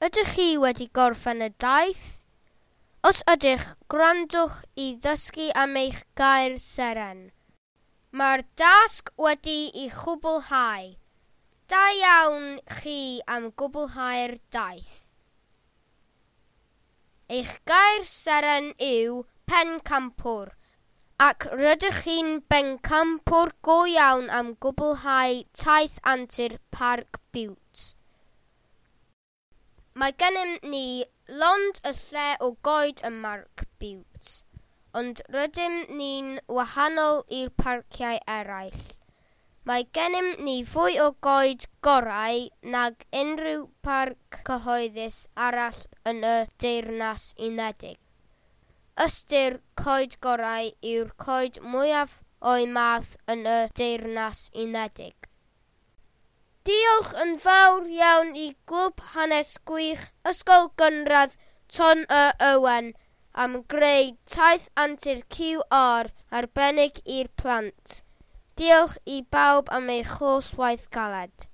Ydych chi wedi gorffen y daith? Os ydych, gwrandwch i ddysgu am eich gair seren. Mae'r dasg wedi'i chwblhau. Da iawn chi am gwblhau'r daith. Eich gair seren yw pencampwr, ac rydych chi'n bencampwr go iawn am gwblhau taith antur Parc Bute. Mae gennym ni lond y lle o goed ym Mharc Bute, ond rydym ni'n wahanol i'r parciau eraill. Mae gennym ni fwy o goed gorau nag unrhyw parc cyhoeddus arall yn y Deyrnas Unedig. Ystyr coed gorau yw'r coed mwyaf o'u math yn y Deyrnas Unedig. Diolch yn fawr iawn i Glwb Hanes Gwych Ysgol Gynradd Ton y Owen am greu taith antur QR arbennig i'r plant. Diolch i bawb am eich holl waith galed.